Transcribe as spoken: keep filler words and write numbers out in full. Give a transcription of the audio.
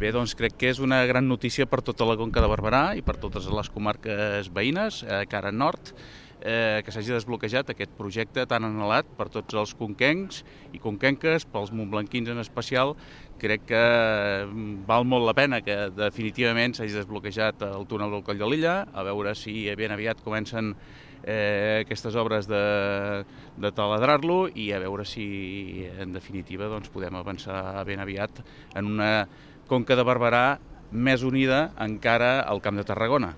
Bé, doncs crec que és una gran notícia per tota la Conca de Barberà i per totes les comarques veïnes, eh, cara nord, eh, que s'hagi desbloquejat aquest projecte tan anhelat per tots els conquencs i conquenques, pels montblanquins en especial. Crec que val molt la pena que definitivament s'hagi desbloquejat el túnel del Coll de Lilla, a veure si ben aviat comencen eh, aquestes obres de, de taladrar-lo i a veure si en definitiva doncs, podem avançar ben aviat en una Conca de Barberà més unida encara al Camp de Tarragona.